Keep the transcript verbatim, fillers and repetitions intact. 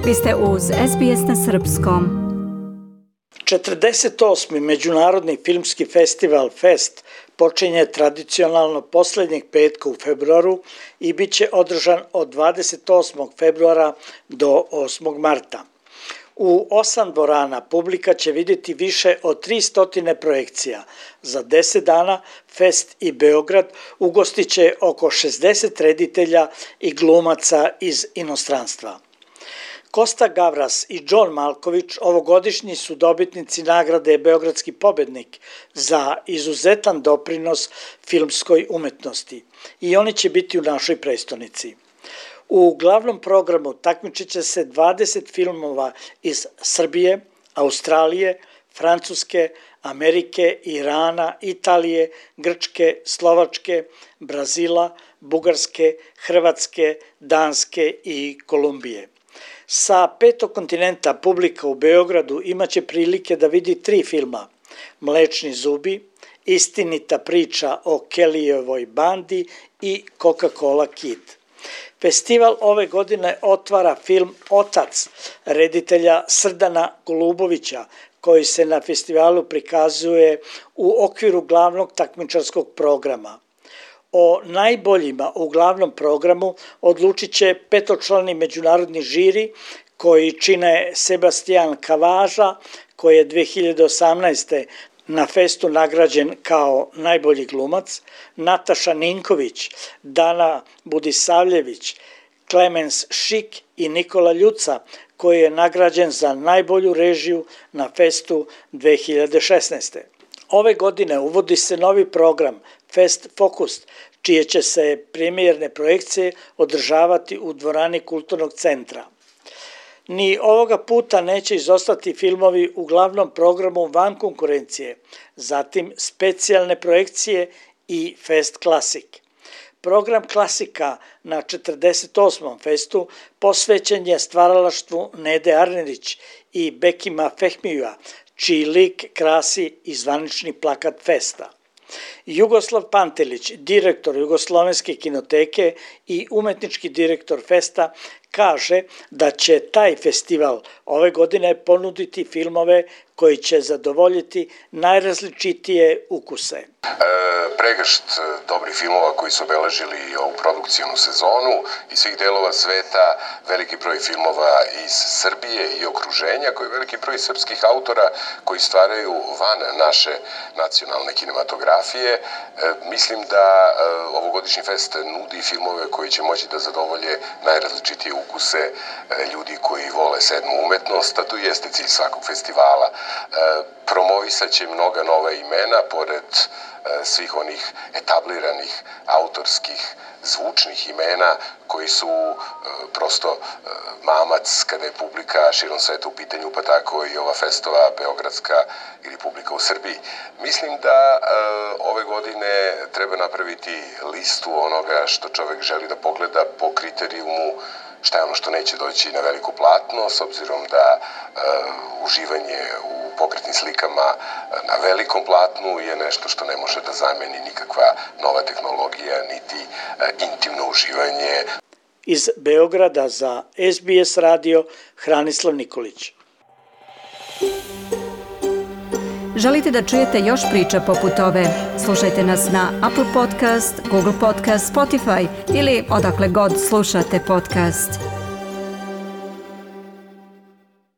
Vi ste uz S B S na srpskom. četrdeset osmi Međunarodni filmski festival Fest počinje tradicionalno posljednjeg petka u februaru i bit će održan od dvadeset osmog februara do osmog marta. U osam dvorana publika će vidjeti više od tristo projekcija. Za deset dana Fest i Beograd ugostit će oko šezdeset reditelja i glumaca iz inostranstva. Kosta Gavras i John Malković ovogodišnji su dobitnici nagrade Beogradski pobednik za izuzetan doprinos filmskoj umetnosti i oni će biti u našoj prestonici. U glavnom programu takmičit će se dvadeset filmova iz Srbije, Australije, Francuske, Amerike, Irana, Italije, Grčke, Slovačke, Brazila, Bugarske, Hrvatske, Danske i Kolumbije. Sa petog kontinenta publika u Beogradu imaće prilike da vidi tri filma: Mlečni zubi, Istinita priča o Kellyjevoj bandi i Coca-Cola Kid. Festival ove godine otvara film Otac reditelja Srdana Golubovića, koji se na festivalu prikazuje u okviru glavnog takmičarskog programa. O najboljima u glavnom programu odlučit će petočlani međunarodni žiri koji čine Sebastian Kavaža, koji je dve hiljade osamnaeste. na festu nagrađen kao najbolji glumac, Nataša Ninković, Dana Budisavljević, Klemens Šik i Nikola Ljuca, koji je nagrađen za najbolju režiju na festu dve hiljade šesnaeste. Ove godine uvodi se novi program Fest Focus, čije će se premijerne projekcije održavati u dvorani Kulturnog centra. Ni ovoga puta neće izostati filmovi u glavnom programu van konkurencije, zatim specijalne projekcije i Fest Klasik. Program klasika na četrdeset osmom festu posvećen je stvaralaštvu Nede Arnerić i Bekima Fehmija, čiji lik krasi i zvanični plakat festa. Jugoslav Pantelić, direktor Jugoslovenske kinoteke i umetnički direktor festa, kaže da će taj festival ove godine ponuditi filmove koji će zadovoljiti najrazličitije ukuse. E, pregršt dobrih filmova koji su obeležili ovu produkcijnu sezonu iz svih delova sveta, veliki broj filmova iz Srbije i okruženja, koji veliki broj srpskih autora koji stvaraju van naše nacionalne kinematografije. E, mislim da e, ovogodišnji fest nudi filmove koji će moći da zadovolje najrazličitije ukuse e, ljudi koji vole sedmu umetnost, a to jeste cilj svakog festivala. E, promovisat će mnoga nova imena, pored e, svih onih etabliranih autorskih zvučnih imena koji su e, prosto e, mamac kada je publika širom sveta u pitanju, pa tako i ova festova Beogradska ili publika u Srbiji. Mislim da e, ove godine treba napraviti listu onoga što čovek želi da pogleda po kriterijumu šta je ono što neće doći na veliko platno, s obzirom da e, uživanje u pokretnim slikama na velikom platnu je nešto što ne može da zameni nikakva nova tehnologija, niti e, intimno uživanje. Iz Beograda za S B S radio Hranislav Nikolić. Želite da čujete još priča poput ove? Slušajte nas na Apple Podcast, Google Podcast, Spotify ili odakle god slušate podcast.